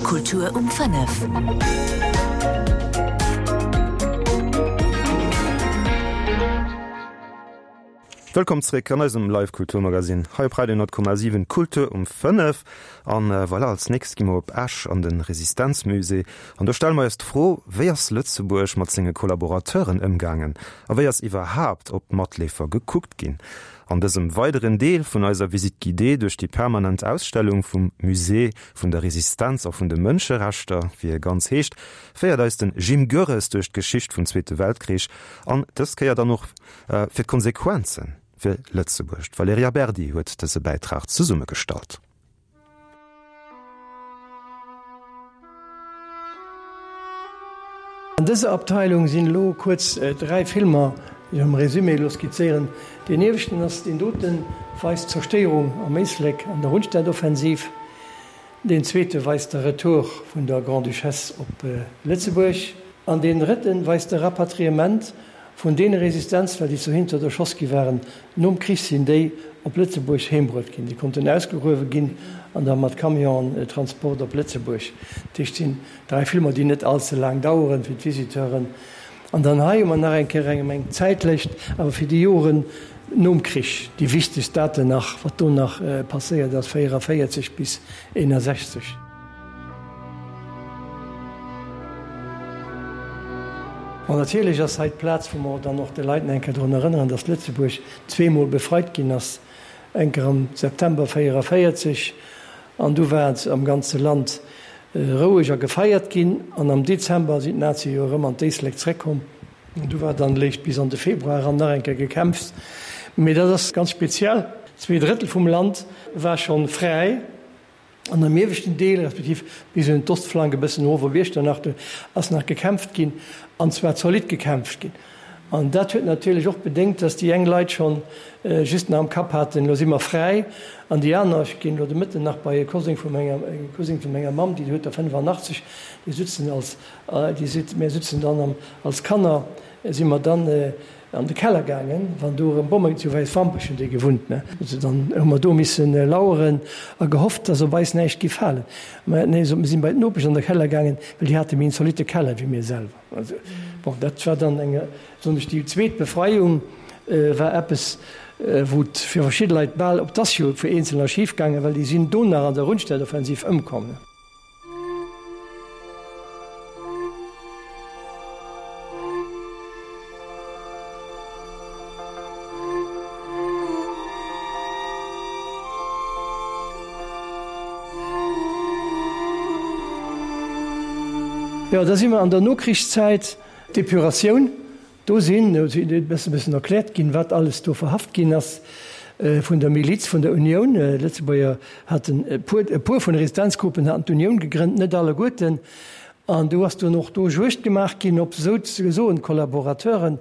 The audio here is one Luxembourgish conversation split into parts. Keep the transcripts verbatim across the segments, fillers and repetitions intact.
Kultur um fënnef. Wëllkomm zréck an eisem Live Kulturmagazin hei op Radio honnert Komma siwen, Kultur um fënnef. An voilà, als nächst gi mer op Esch an de Resistenzmusée. An do stelle mer eis d'Fro, Wéi ass Lëtzebuerg mat senge Kollaborateuren ëmgaangen? A wéi ass iwwerhaapt op d'Matleefer gekuckt ginn? An dësem weideren Deel vun eiser Visite guidée duerch déi permanent Ausstellung vum Musée vun der Resistenz a vun de Mënscherechter, wéi e ganz heescht, féiert eis den Jim Goerres duerch d'Geschicht vum Zweete Weltkrich an dës Kéier dann och fir d'Konsequenzen fir Lëtzebuerg. D'Valerija Berdi huet dëse Bäitrag zesummegestallt. An dëser Abteilung sinn elo kuerz dräi Filmer, déi ech am Résumé elo skizzéieren. Deen ieweschten ass deen doten, weist d'Zerstéierung am Éislek an der Rundstedtoffensiv. Deen zweete weist de Retour vun der Grande-Duchesse op Lëtzebuerg. An deen drëtten weist de Rapatriement vun deene Resistenzler, déi zu Hinzert erschoss gi waren. Nom Krich sinn déi op Lëtzebuerg heembruet ginn. Déi konnten ausgegruewe ginn an da mat Camionen Transport op Lëtzebuerg. Dat heescht, et sinn dräi Filmer, déi net all ze laang daueren fir d'Visiteuren. An dann hei hu mer nach eng Kéier engem eng Zäitlëscht, awer fir déi Joren nom Krich, déi wichtegst Daten nach, wat do nach passéiert ass, véieranvéierzeg bis eenasechzeg. Bon, natierlech ass hei d'Plaz, wou mer dann och de Leit nach eng Kéier drun erënneren, dass Lëtzebuerg zweemol befreit ginn ass, eng Kéier am September véieranvéierzeg, an du war et am ganze Land roueg a gefeiert ginn, an am Dezember sinn d'Nazie jo erëm an d'Éislek zréckkomm. An du war dann léicht bis an de Februar eran nach eng Kéier gekämpft. Mee dat ass ganz speziell, zwee Drëttel vum Land war schonn fräi, an am ieweschten Deel, respektiv bis un d'Ostflank e bëssen erof op Iechternach, do ass nach gekämpft ginn, an zwar zolidd gekämpft ginn. An dat huet natierlech och bedéngt, dass déi eng Leit schonn just nach am Kapp haten, elo si mer fräi, an déi aner, ech ginn elo de Mëtten nach bei e Cousin vu menger, e Cousin vu menger Mamm, déi huet der fënnefannachtzeg, déi sutzen als, déi seet, mir sutzen dann am, als Kanner si mer dann an de Keller gaangen, wann do erëm Bommen, zu Wäiswampech hunn déi gewunnt, ne, also dann hu mer do missen laueren a gehofft, dass op eis näischt géif falen. Mä nee, mir sinn bei d'Nopesch an de Keller gaangen, well déi hate méi en zolitte Keller wéi mir selwer. Also, bon, dat war dann eng, soen ech, déi zweet Befreiung war eppes, wou et fir verschidde Leit bal, op 't ass jo fir Eenzelner schif gaangen, well déi sinn do nach an der Rundstedtoffensiv ëmkomm. Jo, da si mer an der Nokrichszäit, d'Epuratioun. Do sinn, do sinn e bëssen erkläert ginn, wat alles do verhaft ginn ass vun der Miliz vun der Unioun. D'Lëtzebuerger haten e puer, e puer vun de Resistenzgruppen haten d'Unioun gegrënnt, net alleguerten. An do ass dunn och do Juegd gemaach ginn op souzesoen Kollaborateuren.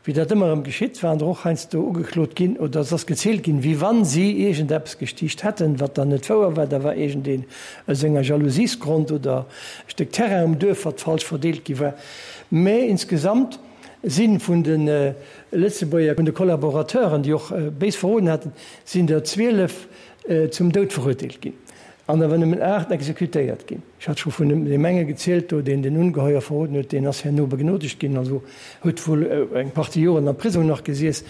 Wéi dat ëmmer erëm geschitt, waren der och heiansdo ugeklot ginn oder et ass gezielt ginn, wéi wann si iergendeppes gestiicht hätten, wat dann net wouer war. Da war iergendeen aus enger Jalousiesgrond oder e Stéck Terrain um Duerf, wat falsch verdeelt gi war. Mä insgesamt si vun de Lëtzebuerger, vun de Kollaborateuren, déi och béis verroden haten, sinn der zwielef zum Doud verurteelt ginn an awer nëmmen aacht exekutéiert ginn. Ech hat scho vun deem enge gezielt do, deen den Ungeheuer verroden huet, deen ass herno begnodegt ginn, also huet wuel eng Partie Joren am Prisong nach gesiess.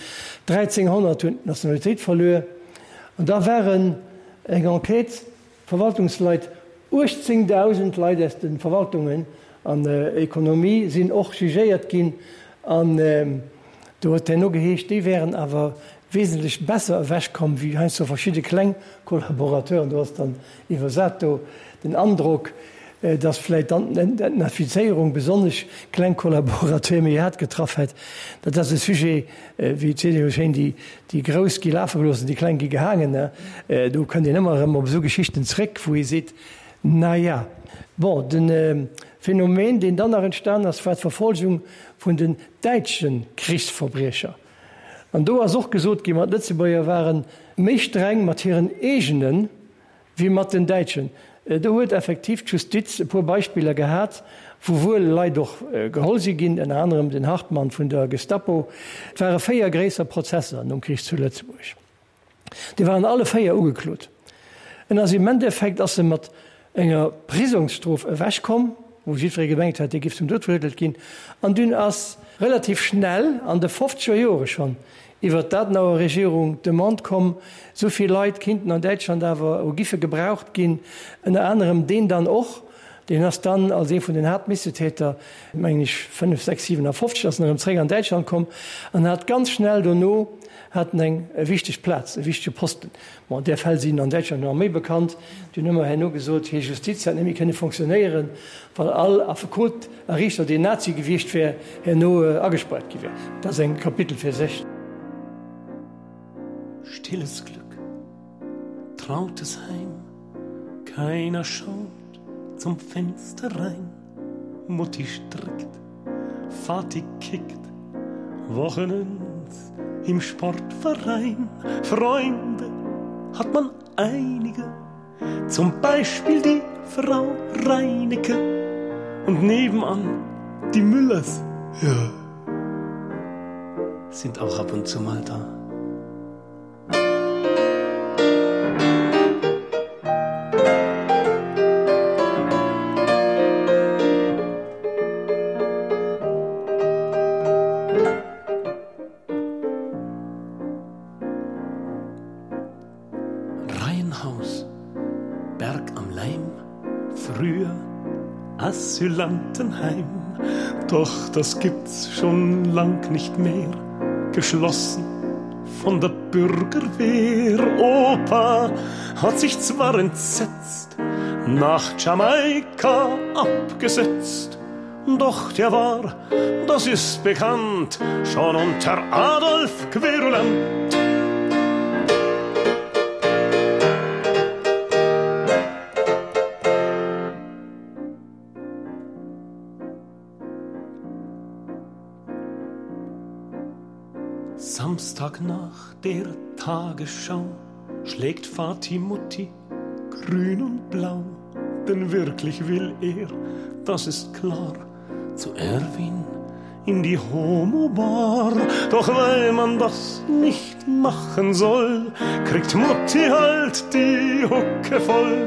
dräizénghonnert hunn d'Nationalitéit verluer. An da waren eng Enquête, Verwaltungsleit, uechtzéngdausend Leit aus de Verwaltungen an Ekonomie sinn och jugéiert ginn an do huet herno geheescht, déi wären awer wesentlech besser ewechkomm wéi heiansdo verschidde kleng Kollaborateuren. Do ass dann iwwersat do den Androck, dass vläicht dann d'Entnazifizéierung besonnesch kleng Kollaborateure méi haart getraff hätt. Dat ass e Sujet, wéi et seet ee jo schéin, déi, déi Grouss gi lafe gelooss an déi Kleng gi gehaangen. Do kënnt een ëmmer erëm op esou Geschichten zréck, wou ee seet, Na ja. Bon, de Phänomen, deen dann nach entstan ass, war d'Verfolgung vun den däitsche Krichsverbriecher. An do ass och gesot ginn, ma d'Lëtzebuerger ware méi streng mat hiren eegene wéi mat den Däitschen. Do huet effektiv d'Justiz e puer Beispiller gehat, wou wuel Leit och geholl si ginn, ënner anerem den Hartmann vun der Gestapo. Et ware véier gréisser Prozesser nom Krich zu Lëtzebuerg. Déi waren alle véier ugeklot. En ass im Endeffekt ass e mat enger Prisongsstrof ewechkomm, wou jiddweree gemengt hat, dee giff zum Doud verurteelt ginn. An dunn ass relativ schnell, an de fofzeger Jore schonn, iwwert d'Adenauer Regierung d'Demande komm, esou vill Leit kinnten an Däitschland awer o giffe gebraucht ginn, ënner anerem deen dann och, deen ass dann als ee vun den Haaptmissetäter, mengen ech, fënnef, sechs, siwenafofzeg ass en erëm zréck an Däitschland komm an hat ganz schnell dono hat en eng wichteg Plaz, e wichtege Posten. Bon, där Fäll sinn an Däitschland nach méi bekannt. Déi hunn ëmmer herno gesot, hir Justiz hätt net méi kënne fonctionnéieren, well all Affekot a Riichter, deen Nazi gewiescht wär, herno agespaart gi wär. Dat ass eng Kapitel fir sech. Stilles Glück, trautes Heim, keiner schaut zum Fenster rein, Mutti strickt, Vati kickt, Wochenends im Sportverein. Freunde hat man einige, zum Beispiel die Frau Reinecke und nebenan die Müllers, ja, sind auch ab und zu mal da. Reihenhaus, Berg am Leim, früher Asylantenheim, doch das gibt's schon lang nicht mehr, geschlossen von der Bürgerwehr. Opa hat sich zwar entsetzt, nach Jamaika abgesetzt, doch der war, das ist bekannt, schon unter Adolf Querulant. Samstag nach der Tagesschau schlägt Vati Mutti grün und blau, denn wirklich will er, das ist klar, zu Erwin in die Homobar. Doch weil man das nicht machen soll, kriegt Mutti halt die Hucke voll.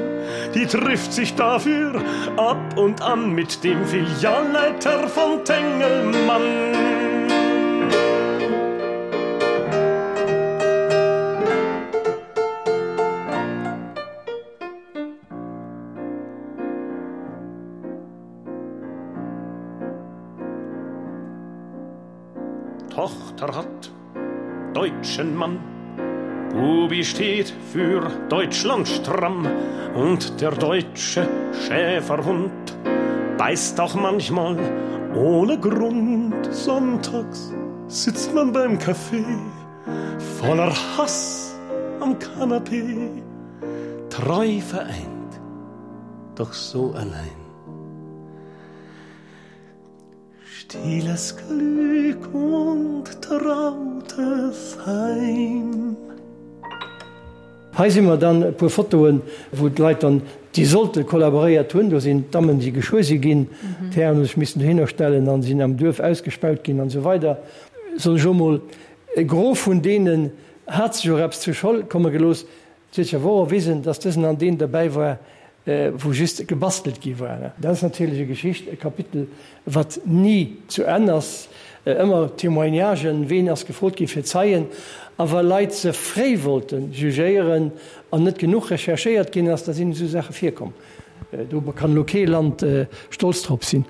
Die trifft sich dafür ab und an mit dem Filialleiter von Tengelmann. Tochter hat deutschen Mann. Bubi steht für Deutschland stramm und der deutsche Schäferhund beißt auch manchmal ohne Grund. Sonntags sitzt man beim Kaffee voller Hass am Kanapee, treu vereint, doch so allein. Stilles Glück und trautes Heim. Hei si mer dann e puer Fotoen, wou d'Leit dann, déi sollte kollaboréiert hunn, do sinn d'Dammen, déi geschwuer si ginn, d'Hären hu sech missen dohinner stellen an sinn am Duerf ausgespaut ginn an esou weider. Soen ech elo mol, e Gros vun deenen hat sech och eppes zu Scholl komme gelooss. Et huet sech awer och erwisen, dass dësen an deen derbäi war, wou just gebastelt gi war. Dat ass natierlech e Geschicht, e Kapitel, wat ni zu Enn ass. Ëmmer Témoignagen, ween ass gefrot gi fir Zeien, a wa Leit ze fréi wollte jugéieren an net genuch recherchéiert ginn ass, da sinn esou Saache virkomm. Do kann elo kee Land stolz drop sinn.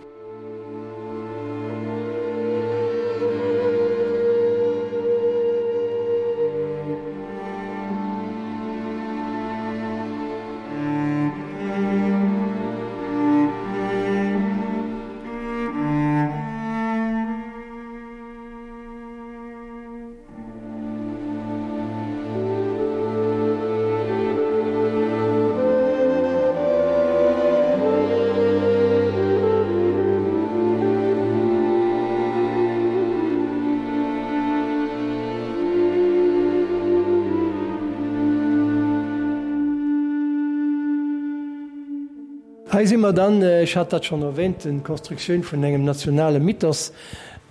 Hei si mer dann, ech hat dat schonn erwähnt, d'Konstruktioun vun engem nationale Mythos.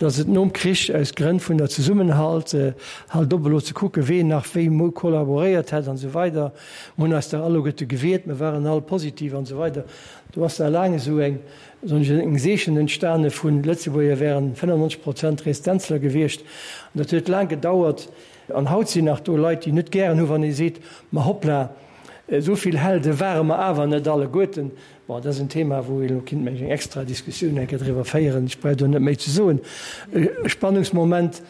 datt et nom Krich aus Grënn vun der Zesummenhalt, halt op elo ze kucken, ween nach wéi mol kollaboréiert hätt an esou weider, mer hunn eis dach alleguerte gewiert, mer waren all positiv an esou weider. Do ass da laang esou eng, soen ech, eng Seechen entstane vun Lëtzebuerger wären fënnefennonzeg Prozent Resistenzler gewiescht. An dat huet laang gedauert. An haut sinn nach do Leit, déi net gären hu wann ee seet, ma hoppla, esou vill Helde ware mer awer net alleguerten. Bon, dat ass en Thema, wou ee elo kinnt, meng ech, eng extra Diskussioun eng Kéier driwwer féieren. Ech brauch do net méi ze soen. E Spannungsmoment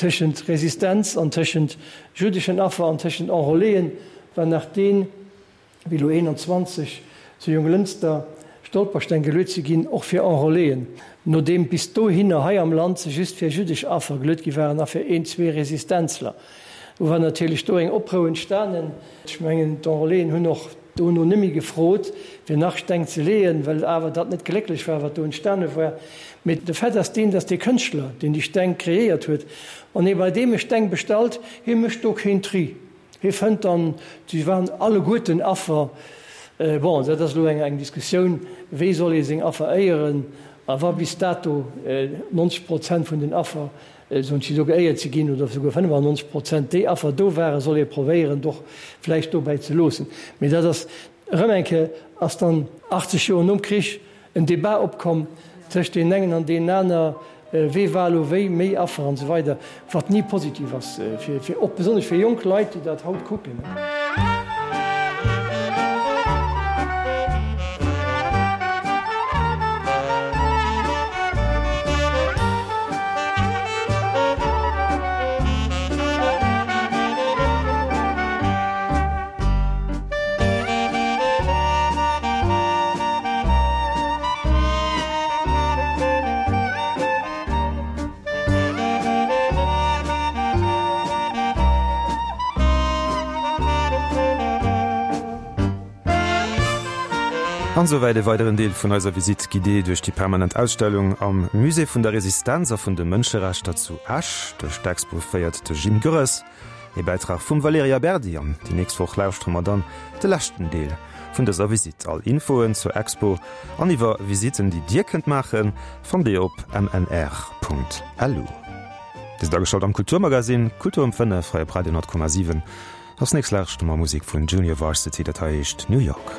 tëschent Resistenz an tëschent jüddeschen Affer an tëschent Enrôléen war nach deen, wéi elo eenanzwanzeg zu Jonglënster Stolpersteng geluet si ginn, och fir Enrôléen, nodeem bis dohinner hei am Land se just fir jüddesch Affer geluet gi waren a fir een, zwee Resistenzler. Do war natierlech do eng Oprou entstanen. Ech mengen, d'Enrôléen hunn och dono net méi gefrot, fir nach Steng ze leeën, well awer dat net glécklech war, wat do entstane war. Mee de Fait ass deen, dass dee Kënschtler, deen déi Steng kreéiert huet, wann ee bei deem e Steng bestallt, hie mécht do keen Tri. Hie fënnt dann, si waren alleguerten Affer. Bon, dat ass elo eng Diskussioun, wéi soll ee seng Affer éieren? A wa bis dato neunzeg Prozent vun den Affer, soen ech, do geéiert si ginn, oder souguer fënnefannonzeg Prozent déi Affer do waren, soll ee probéieren, et och vläicht dobäi ze loossen. Mee dat ass erëm eng Kéier, ass dann achtzeg Joer nom Krich en Débat opkomm tëscht deenen engen an deenen aner, wee war elo wéi méi Affer an esou weider, wat ni positiv ass, fir, och besonnesch fir jonk Leit, déi dat haut kucken. An esouwäit e weideren Deel vun eiser Visite guidée duerch déi permanent Ausstellung am Musée vun der Resistenz a vun de Mënscherechter zu Esch. Duerch d'Expo féiert de Jim Goerres. E Bäitrag vum Valerija Berdi an déi nächst Woch lauschtere mer dann de leschten Deel vun dëser Visite. All Infoen zur Expo an iwwer Visitten, déi Dir kënnt maachen, fannt Dir op mnr.lu. Dir sidd ageschalt am Kulturmagazin Kultur um fënnef hei op Radio honnert Komma siwen. Als nächst lauschte mer Musek vun Junior Varsity, dat hei heescht New York.